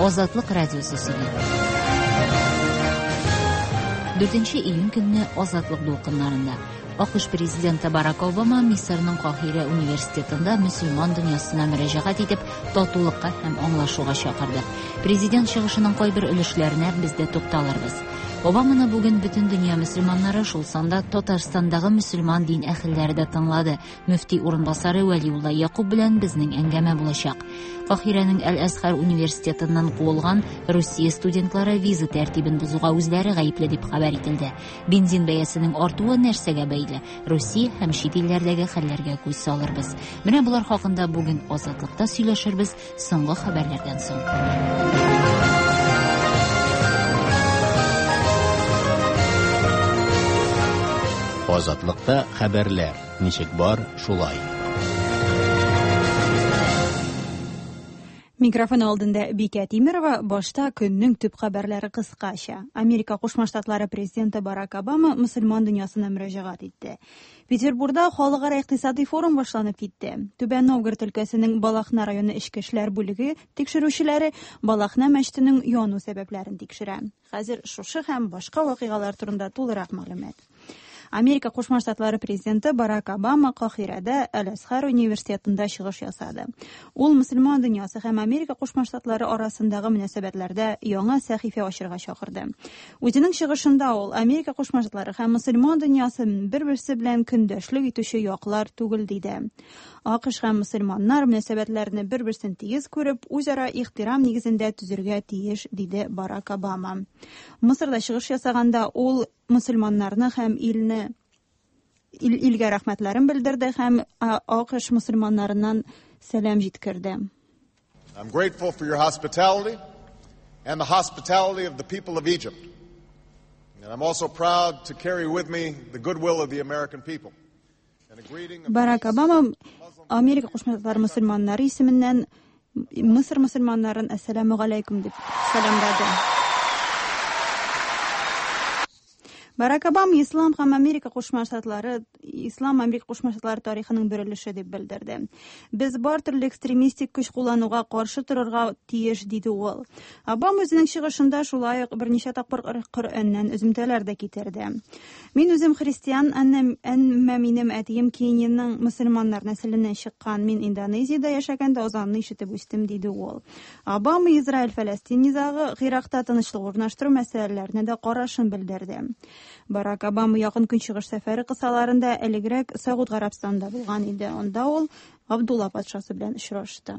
Азатлык радиосы сөйли. 4 июнь көнне Азатлык дулкыннарында АКШ президенты Барак Обама Мисырның Каһирә университетында мөселман дөньясына мөрәҗәгать итеп, татулыкка һәм аңлашуга чакырды. Президент чыгышының кайбер өлешләренә без дә тукталырбыз. Обаманы бүген бөтен дөнья мөселманнары, шул санда Татарстандагы мөселман дин әһелләре дә тыңлады. Мөфти урынбасары Вәлиулла Якуб белән безнең әңгәмә булачак. Каһирәнең Әл-Әзһәр университетыннан куылган Русия студентлары виза тәртибен бозуга үзләре гаепле дип хәбәр ителде. Бензин бәясенең артуы нәрсәгә бәйле? Русия һәм чит илләрдәге хәлләргә күз салырбыз. Менә болар хакында бүген Азатлыкта сөйләшербез соңгы хәбәрләрдән соң. Азатлыкта хәбәрләр ничек бар, шулай. Микрофон алдында Бикә Тимерова. Башта көннең төп хәбәрләре кыскача. Америка Кушма Штатлары президенты Барак Обама мөселман дөньясына мөрәҗәгать итте. Петербурда халыкара икътисади форум башланып китте. Түбән Новгород өлкәсенең Балахна районы эчке эшләр бүлеге тикшерүчеләре Балахна мәчетенең яну сәбәпләрен тикшерә. Хәзер шушы һәм башка вакыйгалар турында тулырак мәгълүмат. Америка Кушма Штатлары президенты Барак Обама Каһирәдә Әл-Әзһәр университетында чыгыш ясады. Ул мөселман дөньясы һәм Америка Кушма Штатлары арасындагы мөнәсәбәтләрдә яңа сәхифә ачырга чакырды. Үзенең чыгышында ул Америка Кушма Штатлары һәм мөселман дөньясы бер-берсе белән көндәшлек итүче яклар түгел диде. АКШ һәм мөселманнар мөнәсәбәтләрне бер-берсен тигез күреп, үзара ихтирам нигезендә төзергә тиеш, диде Барак Обама. Мысырда чыгыш ясаганда ул мөселманнарны һәм илне ил, илгә рәхмәтләрен белдерде һәм АКШ мөселманнарыннан сәлам җиткерде. I'm grateful for your hospitality and the hospitality of the people of Egypt. And I'm also proud to carry with me the goodwill of the American people. And a greeting of Барак Обама Америка Кушма Штатлары мөселманнары исеменнән Мысыр мөселманнарын әссәламү галәйкүм дип сәламләде. Барак Обама Ислам һәм Америка Кушма Штатлары Ислам Америка Кушма Штатлары тарихының бер өлеше дип белдерде. Без бар төрле экстремистик көч куллануга каршы торырга тиеш, диде ул. Обама үзенең чыгышында шулай ук берничә тапкыр Коръәннән өземтәләр дә китерде. Мин үзем христиан, әмма минем әтием Кениянең мөселманнар нәселеннән чыккан. Мин Индонезиядә яшәгәндә азанны ишетеп үстем, диде ул. Обама Израиль-Фәләстин низагы, Гыйракта тынычлык урнаштыру мәсьәләләренә дә карашын белдерде. Барак Обама Якын Көнчыгыш сәфәре кысаларында элегрәк Согуд Гарәбстанында булган иде. Анда ул Абдулла патшасы белән очрашты.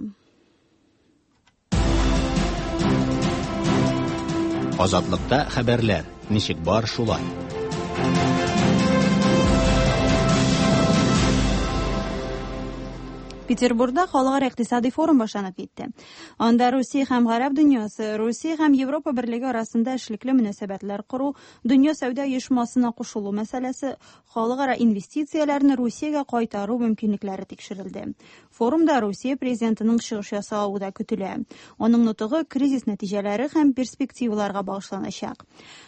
Азатлыкта хәбәрләр ничек бар, шулай. Петербурда халыкара икътисади форум башланып китте. Анда Русия һәм Гарәп дөньясы, Русия һәм Европа берлеге арасында эшлекле мөнәсәбәтләр кору, Дөнья сәүдә оешмасына кушылу мәсьәләсе, халыкара инвестицияләрне Русиягә кайтару мөмкинлекләре тикшерелде. Форумда Русия президентының чыгыш ясавы да көтелә. Аның нотыгы кризис нәтиҗәләре һәм перспективаларга багышланачак.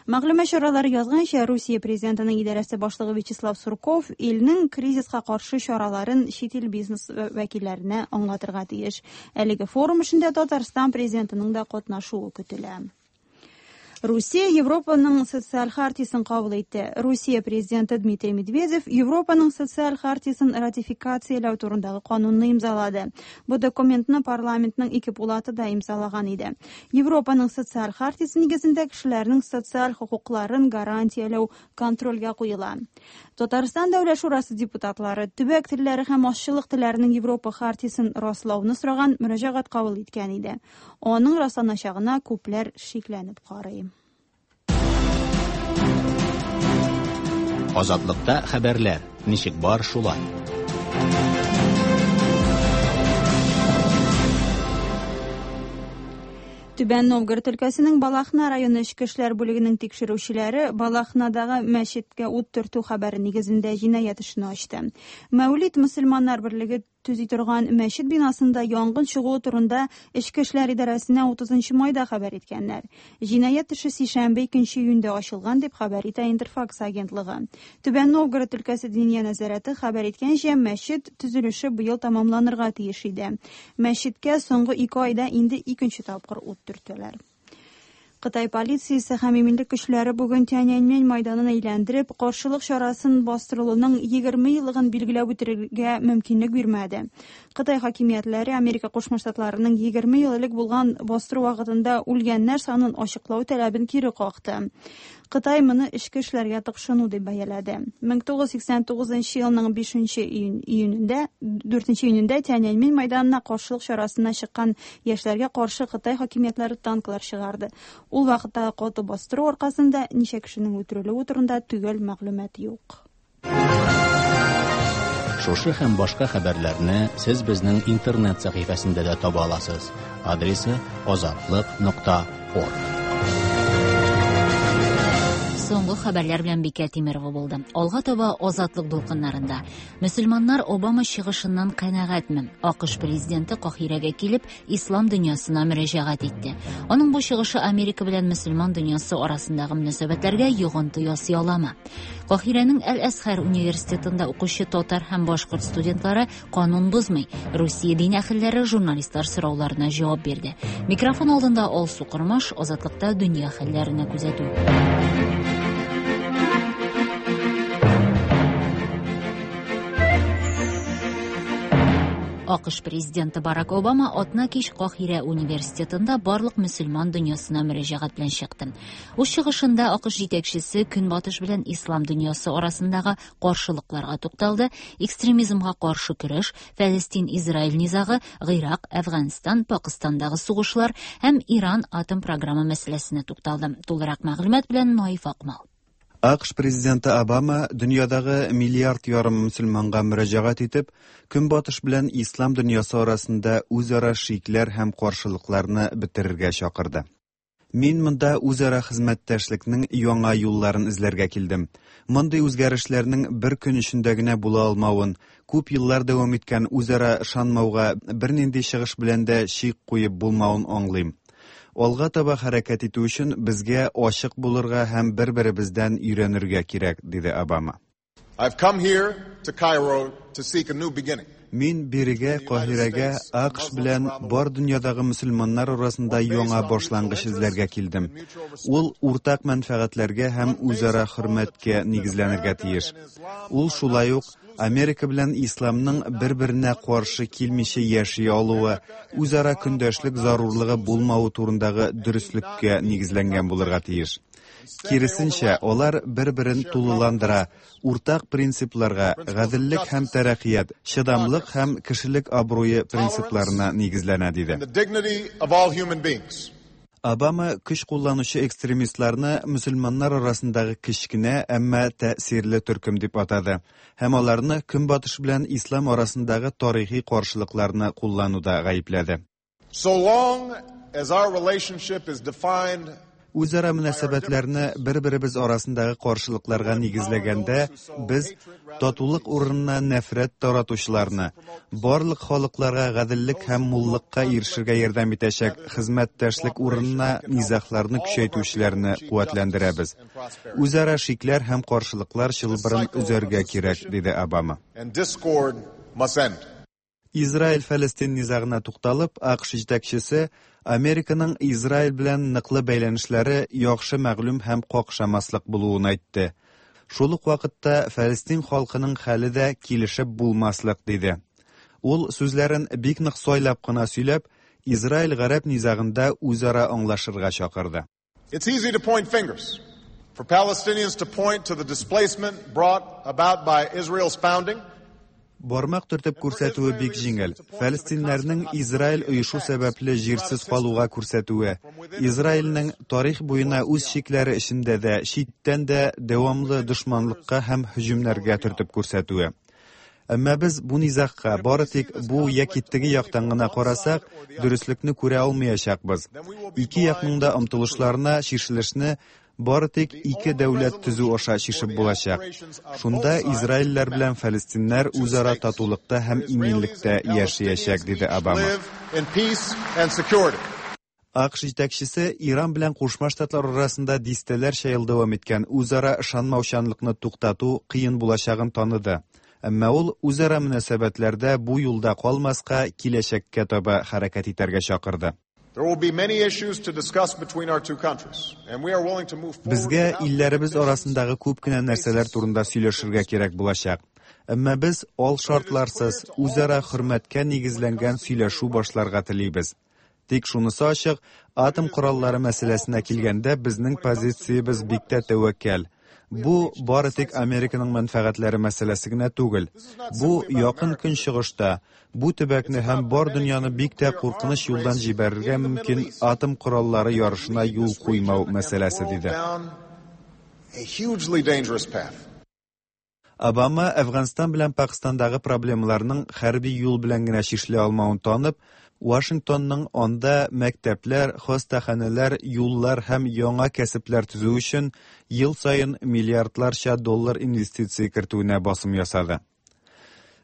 Мәгълүмат чаралары язганча, Русия президентының идарәсе башлыгы Вячеслав Сурков илнең кризиска каршы чараларын чит ил бизнес вәкилләренә аңлатырга тиеш. Әлеге форум эшендә Татарстан президентының да катнашуы көтелә. Русия Европаның социаль хартиясен кабул итте. Русия президенты Дмитрий Медведев Европаның социаль хартиясен ратификацияләү турындагы канунны имзалады. Бу документны парламентның ике пулаты да имзалаган иде. Европаның социаль хартиясе нигезендә кешеләрнең социаль хокукларын гарантияләү контрольгә куела. Татарстан Дәүләт Шурасы депутатлары төбәк телләре һәм азчылык телләренең Европа хартиясен раслауны сораган мөрәҗәгать кабул иткән иде. Аның расланачагына күпләр шикләнеп карый. Азатлыкта хәбәрләр ничек бар, шулай. Түбән Новгород өлкәсенең Балахна районы эчке эшләр бүлегенең тикшерүчеләре Балахнадагы мәчеткә ут төртү хәбәре нигезендә җинаять эшен ачты. Мәүлид мөселманнар берлеге төзи торган мәчет бинасында янгын чыгуы турында Эчке эшләр идарәсенә 30 майда хәбәр иткәннәр. Җинаять эше сишәмбе 2 июньдә ачылган дип хәбәр итә Интерфакс агентлыгы. Түбән Новгород өлкәсе Диния нәзарәте хәбәр иткәнчә, мәчет төзелеше быел тәмамланырга тиеш иде. Мәчеткә соңгы 2 айда инде икенче тапкыр ут төртәләр. Кытай полициясе һәм иминлек көчләре бүген Тяньаньмэнь майданын әйләндереп, каршылык чарасын бастырылуның 20 еллыгын билгеләп үтергә мөмкинлек бирмәде. Кытай хакимиятләре Америка Кушма Штатларының 20 ел элек булган бастыру вакытында үлгәннәр санын ачыклау таләбен кире какты. Кытай моны эчке эшләргә тыкшыну дип бәяләде. 1989 елның 5 июнендә, 4 июнендә Тяньаньмэнь майданына каршылык чарасына чыккан яшьләргә каршы Кытай хакимиятләре танклар чыгарды. Ул вакыттагы каты бастыру аркасында ничә кешенең үтерелүе турында төгәл мәгълүмат юк. Шушы һәм башка хәбәрләрне сез безнең интернет сәхифәсендә дә таба аласыз. Адресы azatliq.org. Соңгы хәбәрләр белән Бикә Тимерова булды. Алга таба Азатлык дулкыннарында. Мөселманнар Обама чыгышыннан канәгатьме? АКШ президенты Каһирәгә килеп, ислам дөньясына мөрәҗәгать итте. Аның бу чыгышы Америка белән мөселман дөньясы арасындагы мөнәсәбәтләргә йогынты ясый аламы? Каһирәнең Әл-Әзһәр университетында укучы татар һәм башкорт студентлары канун бозмый. Русия дин әһелләре журналистлар сорауларына җавап бирде. Микрофон алдында Алсу Кормаш, Азатлыкта дөнья хәлләренә күзәтү. АКШ президенты Барак Обама атна кич Каһирә университетында барлык мөселман дөньясына мөрәҗәгать белән чыкты. Үз чыгышында АКШ җитәкчесе Көнбатыш белән ислам дөньясы арасындагы каршылыкларга тукталды, экстремизмга каршы көрәш, Фәлестин-Израиль низагы, Гыйрак, Әфганстан, Пакыстандагы сугышлар һәм Иран атом программа мәсьәләсенә тукталды. Тулырак мәгълүмат белән Наиф Акмал. АКШ президенты Обама дөньядагы миллиард ярым мөселманга мөрәҗәгать итеп, Көнбатыш белән ислам дөньясы арасында үзара шикләр һәм каршылыкларны бетерергә чакырды. Мин монда үзара хезмәттәшлекнең яңа юлларын эзләргә килдем. Мондый үзгәрешләрнең бер көн эчендә генә була алмавын, күп еллар дәвам иткән үзара ышанмауга бернинди чыгыш белән дә чик куеп булмавын аңлыйм. Алга таба хәрәкәт итү өчен безгә ачык булырга һәм бер-беребездән өйрәнергә кирәк, диде Обама. I've come here to Cairo to seek a new beginning. Мин бирегә, Каһирәгә, АКШ белән бар дөньядагы мөселманнар арасында яңа башлангыч эзләргә килдем. Ул уртак мәнфәгатьләргә һәм үзара хөрмәткә нигезләнергә тиеш. Ул шулай ук Америка белән исламның бер-беренә каршы килмичә яши алуы, үзара көндәшлек зарурлыгы булмавы турындагы дөреслеккә нигезләнгән булырга тиеш. Киресенчә, алар бер-берен тулыландыра, уртак принципларга, гаделлек һәм тәрәккыят, чыдамлык һәм кешелек абруе принципларына нигезләнә, диде. And the dignity of all human beings. Обама көч кулланучы экстремистларны мөселманнар арасындагы кечкенә, әмма тәэсирле төркем дип атады һәм аларны Көнбатыш белән ислам арасындагы тарихи каршылыкларны куллануда гаепләде. So long as our relationship is defined Үзара мөнәсәбәтләрне бер-беребез арасындагы каршылыкларга нигезләгәндә, без татулык урынына нәфрәт таратучыларны, барлык халыкларга гаделлек һәм муллыкка ирешергә ярдәм итәчәк хезмәттәшлек урынына низагларны көчәйтүчеләрне куәтләндерәбез. Үзара шикләр һәм каршылыклар чылбырын өзәргә кирәк, диде Обама. and discord must end. Израиль-Фәлестин низагына тукталып, АКШ җитәкчесе Американың Израиль белән ныклы бәйләнешләре яхшы мәгълүм һәм какшамаслык булуын әйтте. Шул ук вакытта Фәлестин халкының хәле дә килешеп булмаслык диде. Ул сүзләрен бик нык сайлап кына сөйләп, Израиль-Гарәп низагында үзара аңлашырга чакырды. It's easy to point fingers. For Palestinians to point to the displacement brought about by Israel's founding, Бармак төртеп күрсәтүе бик җиңел. Фәлестиннәрнең Израиль оешу сәбәпле җирсез калуга күрсәтүе, Израильнең тарих буена үз чикләре эчендә дә, читтән дә дәвамлы дошманлыкка һәм һөҗүмнәргә төртеп күрсәтүе. Әмма без бу низагка бары тик бу яки теге яктан гына карасак, дөреслекне күрә алмаячакбыз. Ике якның да омтылышларына чишелешне бары тик ике дәүләт төзү аша чишеп булачак. Шунда израильләр белән фәлестиннәр үзара татулыкта һәм иминлектә яшәячәк, диде Обама. АКШ җитәкчесе Иран белән Кушма Штатлар арасында дистәләрчә ел дәвам иткән үзара ышанмаучанлыкны туктату кыен булачагын таныды. Әмма ул үзара мөнәсәбәтләрдә бу юлда калмаска, киләчәккә таба хәрәкәт итәргә чакырды. Безгә илләребез арасындагы күп кенә нәрсәләр турында сөйләшергә кирәк булачак. Әмма без алшартларсыз, үзара хөрмәткә нигезләнгән сөйләшү башларга телибез. Тик шунысы ачык, атом кораллары мәсьәләсенә килгәндә безнең позициябез бик тә тәвәккәл. Бу бары тик Американың мәнфәгатьләре мәсьәләсе генә түгел. Бу Якын Көнчыгышта, бу төбәкне һәм бар дөньяны бик тә куркыныч юлдан җибәрергә мөмкин атом кораллары ярышына юл куймау мәсьәләсе, диде. Обама Әфганстан белән Пакстандагы проблемаларның хәрби юл белән генә чишелә алмавын танып, Вашингтонның анда мәктәпләр, хастаханәләр, юллар һәм яңа кәсепләр төзү өчен ел саен миллиардларча доллар инвестиция кертүенә басым ясады.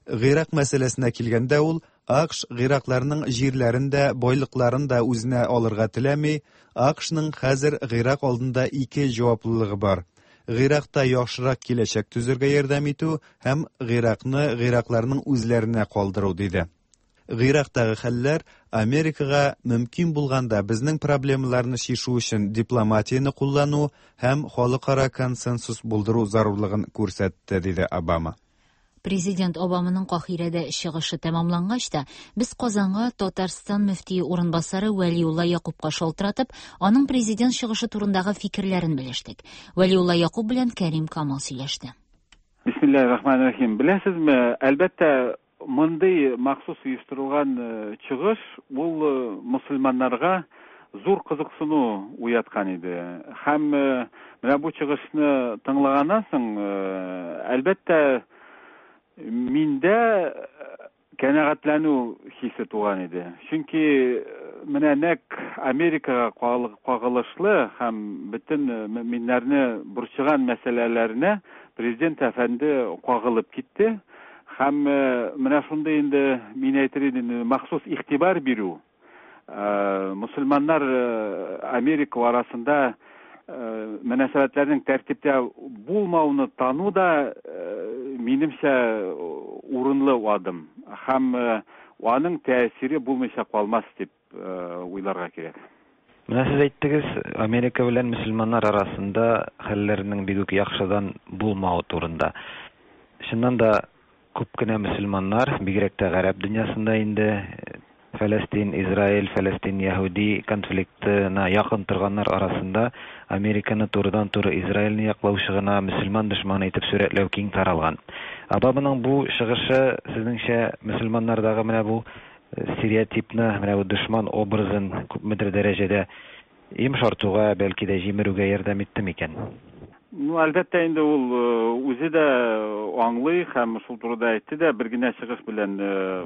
Гыйрак мәсьәләсенә килгәндә, ул АКШ гыйракларның җирләрен дә, байлыкларын да үзенә алырга теләми, АКШның хәзер Гыйрак алдында ике җаваплылыгы бар, Гыйракта яхшырак киләчәк төзергә ярдәм итү һәм Гыйракны гыйракларның үзләренә калдыру, диде. Гыйрактагы хәлләр Америкага мөмкин булганда безнең проблемаларны чишү өчен дипломатияне куллану һәм халыкара консенсус булдыру зарурлыгын күрсәтте, диде Обама. Президент Обаманың Каһирәдә чыгышы тәмамлангач та, без Казанга Татарстан мөфтие урынбасары Вәлиулла Якупка шалтыратып, аның президент чыгышы турындагы фикерләрен белештек. Вәлиулла Якуп белән Кәрим Камал сөйләште. Бисмиллаһир рахманир рахим. Беләсезме, әлбәттә, мондый махсус оештырылган чыгыш ул мусульманнарга зур кызыксыну уяткан иде. Һәм менә бу чыгышны тыңлаганнан соң, әлбәттә, миндә кәнәгатьләнү хисе туган иде. Чөнки менә нәкъ Америкага кагылышлы һәм бөтен мөэминнәрне борчыган мәсьәләләренә президент әфәнде кагылып китте. Һәм менә шундый инде, мин әйтер идем, махсус игътибар бирү, мусульманнар Америка арасында мөнәсәбәтләрнең тәртиптә булмауны тану да, минемчә, урынлы адым. Һәм аның тәэсире булмыйча калмас дип уйларга кирәк. Менә сез әйттегез, Америка белән мөселманнар арасында хәлләрнең бик үк яхшыдан булмавы турында. Чыннан да, күп кенә мөселманнар, бигрәк тә гарәп дөньясында инде, Фәләстин, Израиль, Фәләстин, яһүди конфликтына якын торганнар арасында Американы турыдан-туры Израильне яклаучы гына мөселман дошманы итеп сурәтләү киң таралган. Обаманың бу чыгышы, сезнеңчә, мөселманнардагы менә бу стереотипны, менә бу дошман образын күпмедер дәрәҗәдә йомшартуга, бәлки дә җимерүгә ярдәм итте микән? Ну, әлбәттә инде, ул үзе дә аңлый һәм шул турыда әйтте дә, бер генә чыгыш белән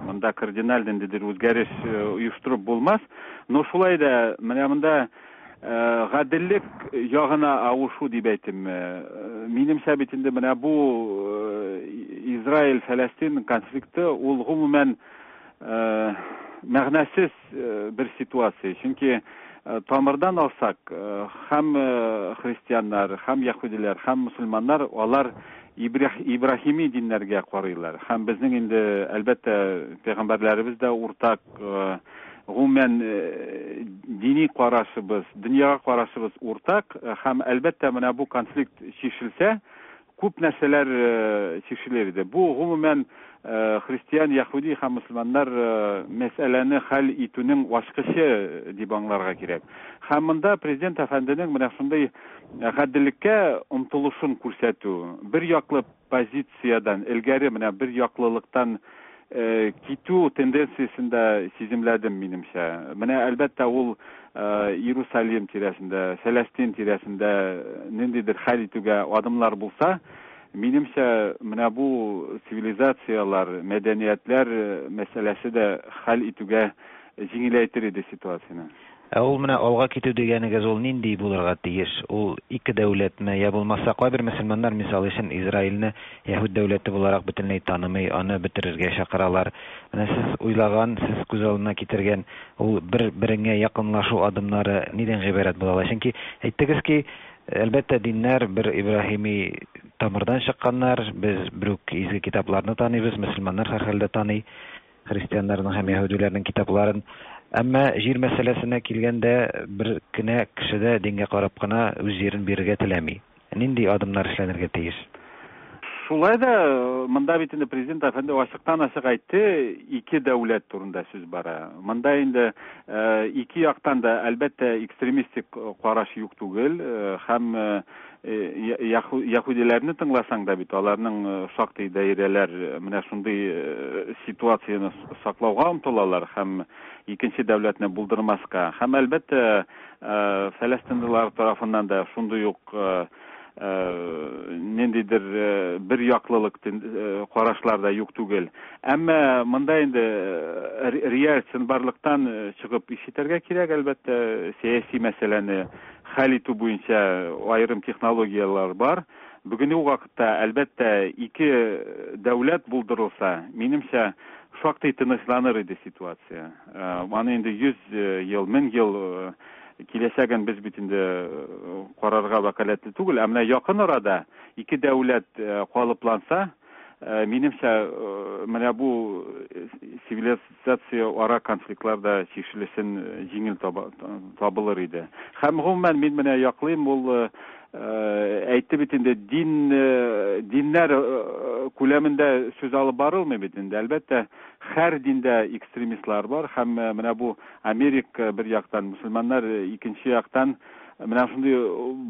монда кардиналь ниндидер үзгәреш оештырып булмас. Но шулай да менә монда гаделлек ягына авышу дип әйтимме. Минемчә бит инде, менә бу Израиль-Фәләстин конфликты ул гомумән мәгънәсез бер ситуация. Чөнки тамырдан алсак, һәм христианнар, һәм яһүдиләр, һәм мусульманнар алар ибраһими диннәргә карыйлар. Һәм безнең инде, әлбәттә, пәйгамбәрләребез дә уртак, гомумән дини карашыбыз, дөньяга карашыбыз уртак һәм, әлбәттә, менә бу конфликт чишелсә, күп нәрсәләр чишелер иде. Бу гомумән христиан, яһүди һәм мусульманнар мәсьәләне хәл итүнең ачкычы дип аңларга кирәк. Һәм монда президент әфәнденең менә шундый гаделлеккә омтылышын күрсәтү, бер яклы позициядән, элгәре менә бер яклылыктан китү тенденциясен дә сиземләдем, минемчә. Менә, әлбәттә, ул Иерусалим тирәсендә, Фәләстин тирәсендә ниндидер хәл итүгә адымлар булса, минемчә, менә бу цивилизацияләр, мәдәниятләр мәсьәләсе дә хәл итүгә җиңеләйтер иде ситуацияне. Ә ул менә алга китү дигәнегез ул нинди булырга тиеш? Ул ике дәүләтме, я булмаса кайбер мөселманнар, мисал өчен, Израильне яһүд дәүләте буларак бөтенләй танымый, аны бетерергә чакыралар. Менә сез уйлаган, сез күз алдына китергән ул бер-береңә якынлашу адымнары нидән гыйбарәт була ала? Чөнки әйттегез ки, әлбәттә, диннәр бер Ибраһими тамырдан чыкканнар, без бер үк изге китапларны таныйбыз, мөселманнар һәрхәлдә таный. Христианнарның һәм яһүдиләрнең китапларын. Әмма җир мәсьәләсенә килгәндә, бер кенә кеше дә дингә карап кына үз җирен бирергә теләми. Нинди адымнар эшләнергә тиеш? Шулай да, монда бит инде президент әфәнде ачыктан-ачык әйтте, ике дәүләт турында сүз бара. Монда инде ике яктан да, әлбәттә, экстремистик караш юк түгел, һәм Яһүдиләрне тыңласаң да бит, аларның шактый даирәләр менә шундый ситуацияне саклауга омтылалар һәм икенче дәүләтне булдырмаска. Һәм, әлбәттә, фәләстинлылар тарафыннан да шундый ук ниндидер бер яклылык карашлар да юк түгел. Әмма монда инде реаль чынбарлыктан чыгып иш итәргә кирәк, әлбәттә, сәяси мәсьәләне хәл итү буенча аерым технологияләр бар. Бүгенге вакытта, әлбәттә, ике дәүләт булдырылса, минемчә, шактый тынычланыр иде ситуация. Аны инде 100 ел, 1000 ел киләчәген без бит инде карарга вәкаләтле түгел. Ә менә якын арада ике дәүләт калыпланса, минемчә, менә бу цивилизация ара конфликтлар да чишелешен җиңел табылыр иде. Һәм гомумән мин менә яклыйм, ул әйтте бит инде, дин диннәр күләмендә сүз алып барылмый бит инде. Әлбәттә, һәр диндә экстремистлар бар һәм менә бу Америка бер яктан, мөселманнар икенче яктан менә шундый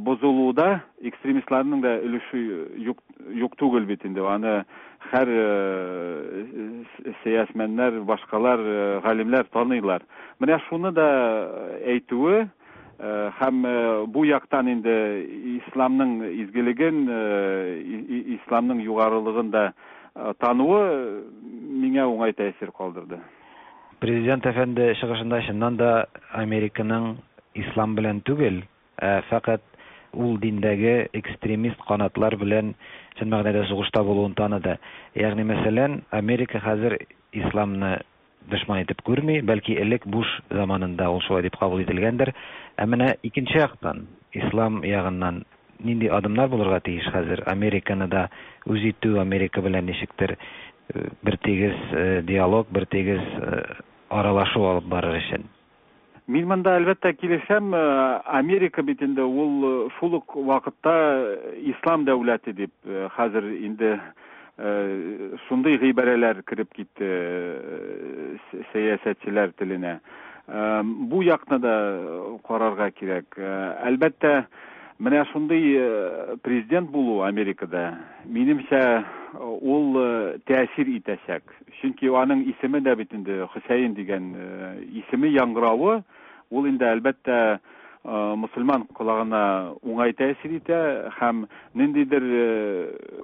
бозылуда экстремистларның да өлеше юк, юк түгел бит инде. Аны һәр сәясмәннәр, башкалар, галимнәр таныйлар. Менә шуны да әйтүе һәм бу яктан инде исламның изгелеген, исламның югарылыгын да тануы миңа уңай тәэсир калдырды. Президент әфәнде чыгышында чыннан да Американың ислам белән түгел, ә фәкать ул диндәге экстремист канатлар белән чын мәгънәдә сугышта булуын таныды. Ягъни мәсәлән, Америка хәзер исламны дошман итеп күрми, бәлки элек Буш заманында ул шулай дип кабул ителгәндер. Ә менә икенче яктан, ислам ягыннан нинди адымнар булырга тиеш хәзер? Американы да үз итү, Америка белән ничектер бертигез диалог, бертигез аралашу алып барыр өчен. Мин монда, әлбәттә, килешәм. Америка бит инде ул шул ук вакытта ислам дәүләте дип хәзер инде шундый гыйбарәләр кереп китте сәясәтчеләр теленә. Бу якны да карарга кирәк. Әлбәттә, менә шундый президент булу Америкада, минемчә, ул тәэсир итәчәк. Чөнки аның исеме дә бит инде Хөсәен дигән исеме яңгыравы, ул инде, әлбәттә, мөселман колагына уңай тәэсир итә һәм ниндидер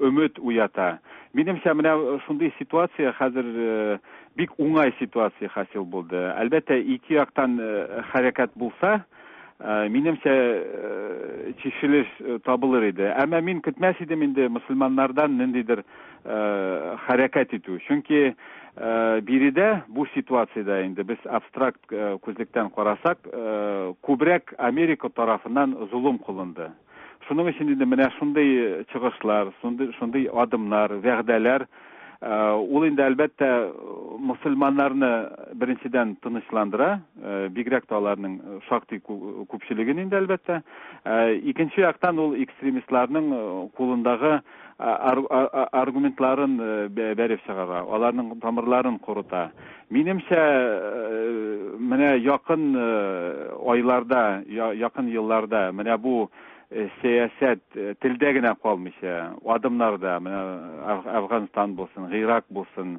өмет уята. Минемчә, менә шундый ситуация хәзер бик уңай ситуация хасил булды. Әлбәттә, ике яктан хәрәкәт булса, минемчә, чишелеш табылыр иде. Әмма мин көтмәс идем инде мөселманнардан ниндидер хәрәкәт итү. Чөнки биредә бу ситуациядә инде без абстракт күзлектән карасак, күбрәк Америка тарафыннан золым кылынды. Шуның өчен инде менә шундый чыгышлар, шундый адымнар, вәгъдәләр, ул инде, әлбәттә, мөселманнарны беренчедән тынычландыра, бигрәк тә аларның шактый күпчелеген инде, әлбәттә. Икенче яктан ул экстремистларның кулындагы аргументларын бәреп чыгара, аларның тамырларын корыта. Минемчә, менә якын айларда, якын елларда менә бу сәясәт телдә генә калмыйча, адымнарда, менә Әфганстан булсын, Гыйрак булсын,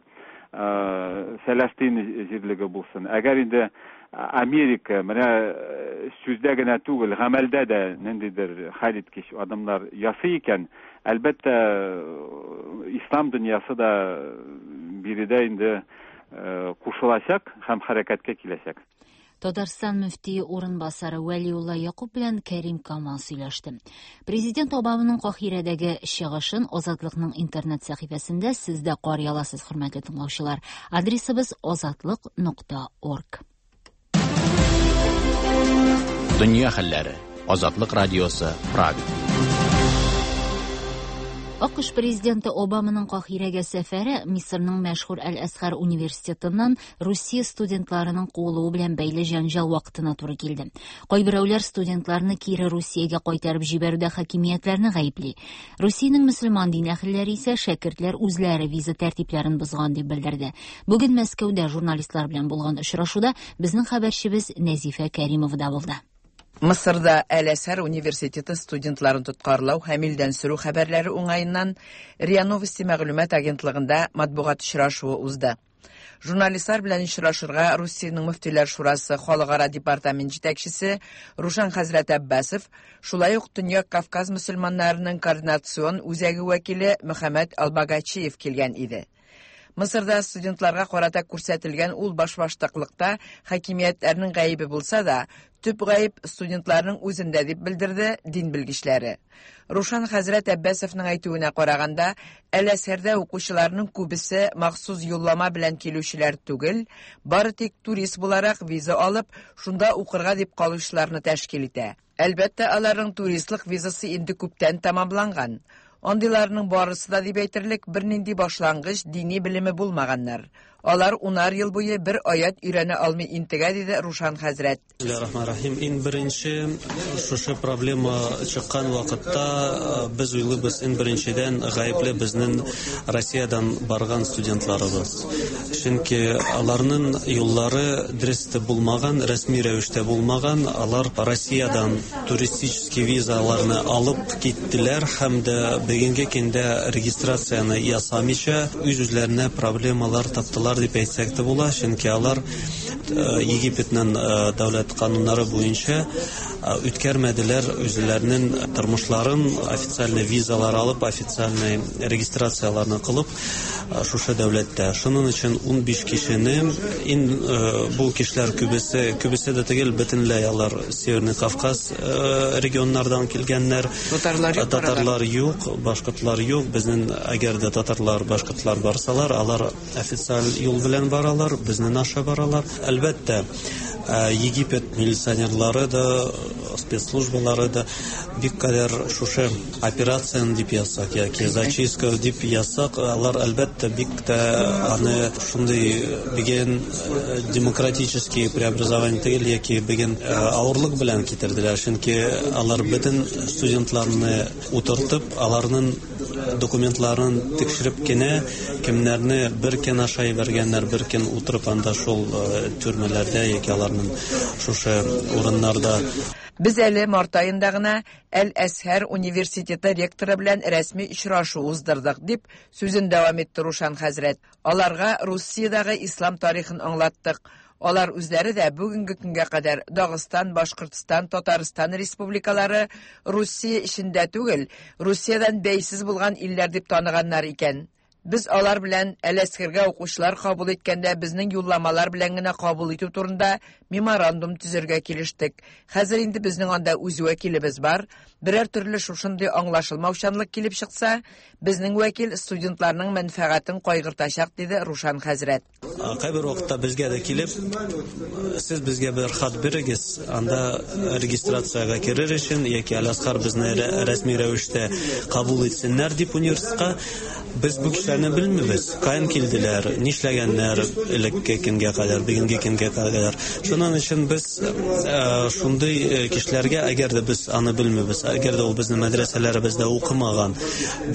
Фәләстин җирлеге булсын. Әгәр инде Америка менә сүздә генә түгел, гамәлдә дә ниндидер хәлиткеч адымнар ясый икән, әлбәттә, ислам дөньясы да биредә инде кушылачак һәм хәрәкәткә киләчәк. Татарстан мөфтие урынбасары Вәлиулла Якуб белән Кәрим Камал сөйләште. Президент Обаманың Каһирәдәге чыгышын Азатлыкның интернет сәхифәсендә сез дә карый аласыз, хөрмәтле тыңлаучылар. Адресыбыз азатлык.орг. Дөнья хәлләре. Азатлык радиосы, Прага. АКШ президенты Обаманың Каһирәгә сәфәре Мисырның мәшһүр Әл-Әзһәр университетыннан Русия студентларының куылуы белән бәйле җәнҗал вакытына туры килде. Кайберәүләр студентларны кире Русиягә кайтарып җибәрүдә хакимиятләрне гаепли. Русиянең мөселман дин әһелләре исә шәкертләр үзләре виза тәртипләрен бозган дип белдерде. Бүген Мәскәүдә журналистлар белән булган очрашуда безнең хәбәрчебез Нәзифә Кәримова да булды. Мысырда Әл-Әзһәр университеты студентларын тоткарлау һәм илдән сөрү хәбәрләре уңаеннан РИА Новости мәгълүмат агентлыгында матбугат очрашуы узды. Журналистлар белән очрашырга Русиянең Мөфтиләр шурасы халыкара департамент җитәкчесе Рушан хәзрәт Аббасов, шулай ук Төньяк Кавказ мөселманнарының координацион үзәге вәкиле Мөхәммәд Албагачиев килгән иде. Мысырда студентларга карата күрсәтелгән ул башбаштаклыкта хакимиятләрнең гаебе булса да, төп гаеп студентларның үзендә дип белдерде дин белгечләре. Рушан хәзрәт Әббәсовның әйтүенә караганда, Әл-Әзһәрдә укучыларның күбесе махсус юллама белән килүчеләр түгел, бары тик турист буларак виза алып, шунда укырга дип калучыларны тәшкил итә. Әлбәттә, аларның туристлык визасы инде күптән тәмамланган. Андыйларның барысы да дип әйтерлек бернинди башлангыч дини белеме булмаганнар. Алар унар ел буе бер аят өйрәнә алмый интегә, диде Рушан хәзрәт. Бисмиллахир-рахманир-рахим. Иң беренче шушы проблема чыккан вакытта без уйлыйбыз, иң беренчедән гаепле безнең Россиядән барган студентларыбыз. Чөнки аларның юллары дөрес булмаган, рәсми рәвештә булмаган. Алар Россиядән туристический визаларны алып киттеләр һәм дә бүгенге көндә регистрацияне ясамыйча үз-үзләренә проблемалар таптылар дип әйтсәк тә була, чөнки алар Египетның дәүләт кануннары буенча үткәрмәделәр үзләренең тормышларын, официальный визалар алып, официальный регистрацияләрне кылып шушы дәүләттә. Шуның өчен 15 кешене, ин бу кешеләр күбесе, күбесе дә түгел, бөтенләй алар Северный Кавказ регионнардан килгәннәр. Татарлар юк. Татарлар юк, башкортлар юк. Безнең әгәр дә татарлар, башкортлар барсалар, алар официаль юл белән баралар, безнең аша баралар. Әлбәттә, Египет милиционерлары да, спецслужбалары да бик кадәр шушы операцияне дип язсак яки зачистка дип язсак, алар әлбәттә бик тә аны шундый бүген демократический преобразование түгел яки бүген авырлык белән китерделәр, чөнки алар бөтен студентларны утыртып, аларның документларын тикшереп кенә кемнәрне бер көн аша җибәргәннәр, бер көн утырып анда шул төрмәләрдә яки аларның шушы урыннарда. Без әле март аенда гына Әл-Әзһәр университеты ректоры белән рәсми очрашу уздырдык, дип сүзен дәвам итте Рушан хәзрәт. Аларга Русиядәге ислам тарихын аңлаттык. Алар үзләре дә бүгенге көнгә кадәр Дагыстан, Башкортстан, Татарстан республикалары Русия эчендә түгел, Русиядән бәйсез булган илләр дип таныганнар икән. Без алар белән Әл-Әзһәргә укучылар кабул иткәндә безнең юлламалар белән генә кабул итү турында меморандум төзергә килештек. Хәзер инде безнең анда үз вәкилебез бар. Берәр төрле шушындый аңлашылмаучанлык килеп чыкса, безнең вәкил студентларның мәнфәгатен кайгыртачак, диде Рушан хәзрәт. Кайбер вакытта безгә дә килеп, сез безгә бер хат бирегез, анда регистрациягә керер өчен яки Әл-Әзһәр безне рәсми рәвештә кабул итсеннәр дип университетка. Без бу кешеләрне белмибез, каян килделәр, нишләгәннәр элекке көнгә кадәр, бүгенге көнгә кадәр. Шуның өчен без шундый кешеләргә, әгәр дә без аны белмибез, әгәр дә ул безнең мәдрәсәләребездә укымаган,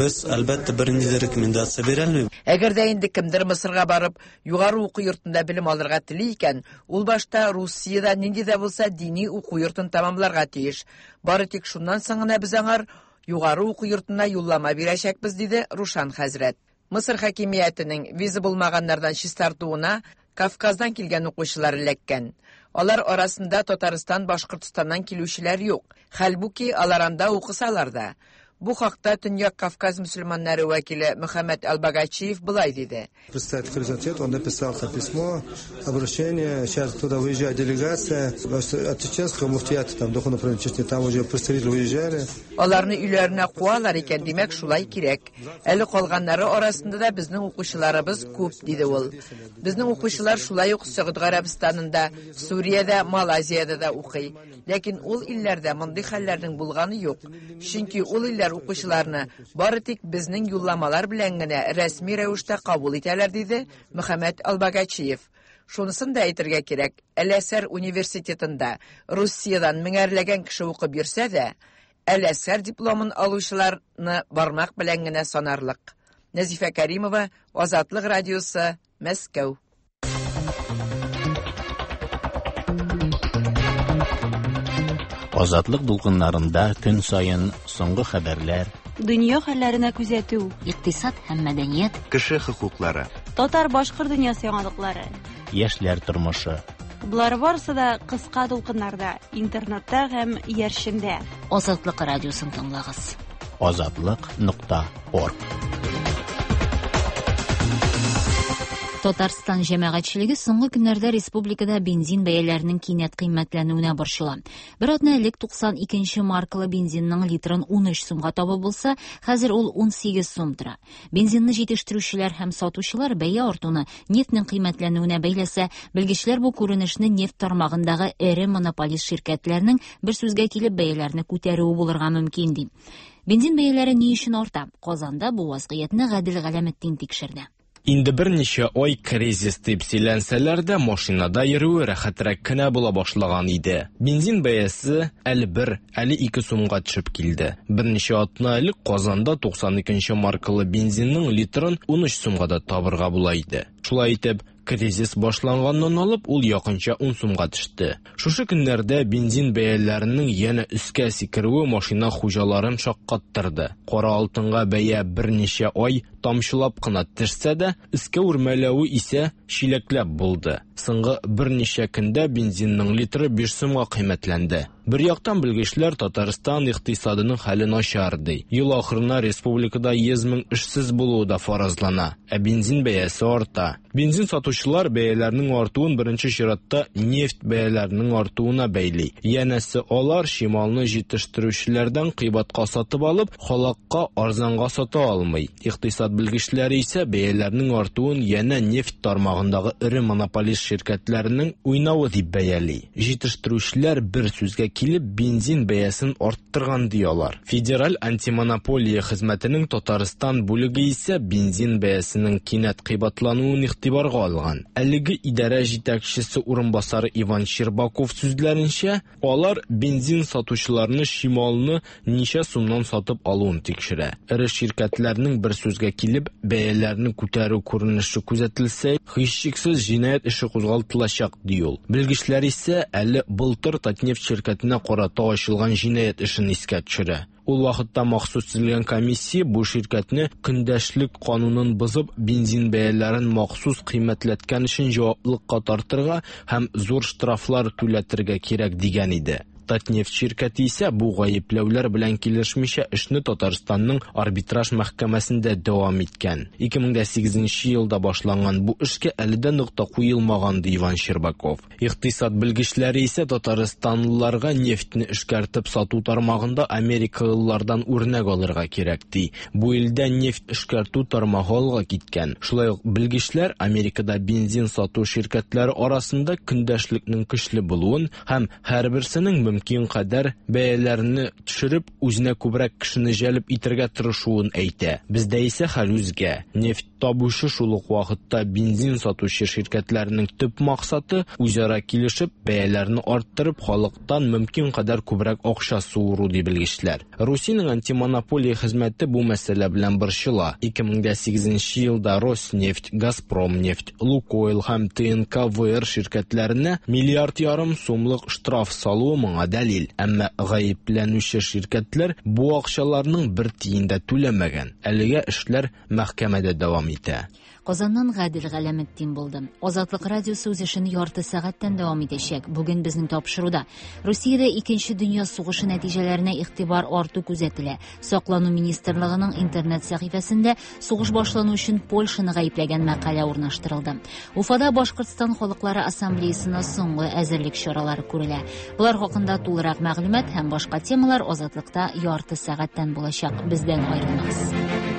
без әлбәттә бернинди дә рекомендация бирә алмыйбыз. Әгәр дә инде кемдер Мысырга барып, югары уку йортында белем алырга тели икән, ул башта Русиядә нинди дә булса дини уку йортын тәмамларга тиеш. Бары тик шуннан соң гына без аңар югары уку йортына юллама бирәчәкбез, диде Рушан хәзрәт. Мысыр хакимиятенең виза булмаганнардан чистартуына Кавказдан килгән укучылар эләккән. Алар арасында Татарстан, Башкортстаннан килүчеләр юк. Хәлбуки алар анда укысалар да. Бу хакта Төньяк Кавказ мөселманнары вәкиле Мөхәммәд Албагачиев болай диде. Представитель Хризантет, он написал там письмо, обращение, сейчас туда выезжает делегация, от чеченского муфтията, там, духовного управления Чечни, там уже представители выезжали. Аларны өйләренә куалар икән, димәк, шулай кирәк. Әле калганнары арасында да безнең укучыларыбыз күп, диде ул. Безнең укучылар шулай ук Сөгуд Гарәбстанында, Сүриядә, Малайзиядә дә укый. Ләкин ул илләрдә мондый хәлләрнең булганы юк. Чөнки ул илләр укучыларны бары тик безнең юлламалар белән генә рәсми рәвештә кабул итәләр, диде Мөхәммәд Албагачиев. Шунысын да әйтергә кирәк, Әл-Әзһәр университетында Русиядән меңәрләгән кеше укып йөрсә дә, Әл-Әзһәр дипломын алучыларны бармак белән генә санарлык. Нәзифә Кәримова, Азатлык радиосы, Мәскәү. Азатлык дулкыннарында көн саен соңгы хәбәрләр, Дөнья хәлләренә күзәтү, икътисад һәм мәдәният, кеше хокуклары, татар-башкорт дөньясы яңалыклары, яшьләр тормышы. Болар барысы да кыска дулкыннарда, интернетта һәм иярчендә. Азатлык радиосын тыңлагыз. Азатлык.орг. Татарстан җәмәгатьчелеге соңгы көннәрдә республикада бензин бәяләренең кинәт кыйммәтләнүенә борчыла. Бер атна элек 92 маркалы бензинның литрын 13 сумга табып булса, хәзер ул 18 сум тора. Бензинны җитештерүчеләр һәм сатучылар бәя артуны нефтьнең кыйммәтләнүенә бәйләсә, белгечләр бу күренешне нефть тармагындагы эре монополист ширкәтләрнең бер сүзгә килеп бәяләрне күтәрүе булырга мөмкин ди. Бензин бәяләре ни өчен арта? Казанда бу вазгыятьне Гадел Галәметдин тикшерде. Инде берничә ай кризис дип сөйләнсәләр дә, машинада йөрүе рәхәтрәк кенә була башлаган иде. Бензин бәясе әле бер, әле ике сумга төшеп килде. Берничә атна элек Казанда 92 маркалы бензинның литрын 13 сумга да табырга була иде. Шулай итеп, кризис башланганнан алып ул якынча 10 сумга төште. Шушы көннәрдә бензин бәяләренең янә өскә сикерүе машина хуҗаларын шаккаттырды. Кара алтынга бәя берничә ай тамчылап кына төшсә дә, өскә үрмәләве исә чиләкләп булды. Соңгы берничә көндә бензинның литры 5 сумга кыйммәтләнде. Бер яктан белгечләр Татарстан икътисадының хәле начар ди. Ел ахырына республикада 100 мең эшсез булуы да фаразлана, ә бензин бәясе арта. Бензин сатучылар бәяләрнең артуын беренче чиратта нефть бәяләренең артуына бәйли. Янәсе алар чималны җитештерүчеләрдән кыйбатка сатып алып, халыкка арзанга сата алмый. Икътисад белгечләре исә бәяләрнең артуын янә нефть тармагындагы эре монополист ширкәтләренең уйнавы дип бәяли. Җитештерүчеләр бер сүзгә килеп бензин бәясен арттырган ди алар. Федераль антимонополия хезмәтенең Татарстан бүлеге исә бензин бәясенең кинәт кыйбатлануын игътибарга алган. Әлеге идарә җитәкчесе урынбасары Иван Щербаков сүзләренчә, алар бензин сатучыларны чималны ничә сумнан сатып алуын тикшерә. Эре ширкәтләрнең бер сүзгә килеп бәяләрне күтәрү күренеше күзәтелсә, һичшиксез җинаять эше кузгалтылачак, ди ул. Белгечләр исә әле былтыр Татнефть ширкәтенә карата ачылган җинаять эшен искә төшерә. Ул вакытта махсус төзелгән комиссия бу ширкәтне көндәшлек канунын бозып, бензин бәяләрен махсус кыйммәтләткән өчен җаваплылыкка тартырга һәм зур штрафлар түләтергә кирәк дигән иде. Татнефть ширкәте исә бу гаепләүләр белән килешмичә эшне Татарстанның арбитраж мәхкәмәсендә дәвам иткән. 2008 елда башланган бу эшкә әле дә нокта куелмаган, ди Иван Щербаков. Икътисад белгечләре исә татарстанлыларга нефтьне эшкәртеп сату тармагында америкалылардан үрнәк алырга кирәк, ди. Бу илдә нефть эшкәртү тармагы алга киткән. Шулай ук белгечләр Америкада бензин сату ширкәтләре арасында көндәшлекнең көчле булуын һәм һәрберсенең мөмкин кадәр бәяләрне төшереп, үзенә күбрәк кешене җәлеп итәргә тырышуын әйтә. Бездә исә хәл үзгә. Нефть табучы шул ук вакытта бензин сатучы ширкәтләрнең төп максаты үзара килешеп, бәяләрне арттырып, халыктан мөмкин кадәр күбрәк акча суыру, ди белгечләр. Русиянең антимонополия хезмәте бу мәсьәлә белән борчыла. 2008 елда Роснефть, Газпромнефть, Лукойл һәм ТНК-ВР ширкәтләренә миллиард ярым сумлык штраф салуы моңа моңа дәлил. Әмма гаепләнүче ширкәтләр бу акчаларның бер тиен дә түләмәгән. Әлегә эшләр мәхкәмәдә дәвам итә. Казаннан Гадел Галәметдин булды. Азатлык радиосы үз эшен ярты сәгатьтән дәвам итәчәк. Бүген безнең тапшыруда Русиядә икенче дөнья сугышы нәтиҗәләренә игътибар арту күзәтелә. Саклану министрлыгының интернет сәхифәсендә сугыш башлану өчен Польшаны гаепләгән мәкалә урнаштырылды. Уфада Башкортстан халыклары ассамблеясына соңгы әзерлек чаралары күрелә. Болар хакында тулырак мәгълүмат һәм башка темалар Азатлыкта ярты сәгатьтән булачак. Бездән аерылмагыз.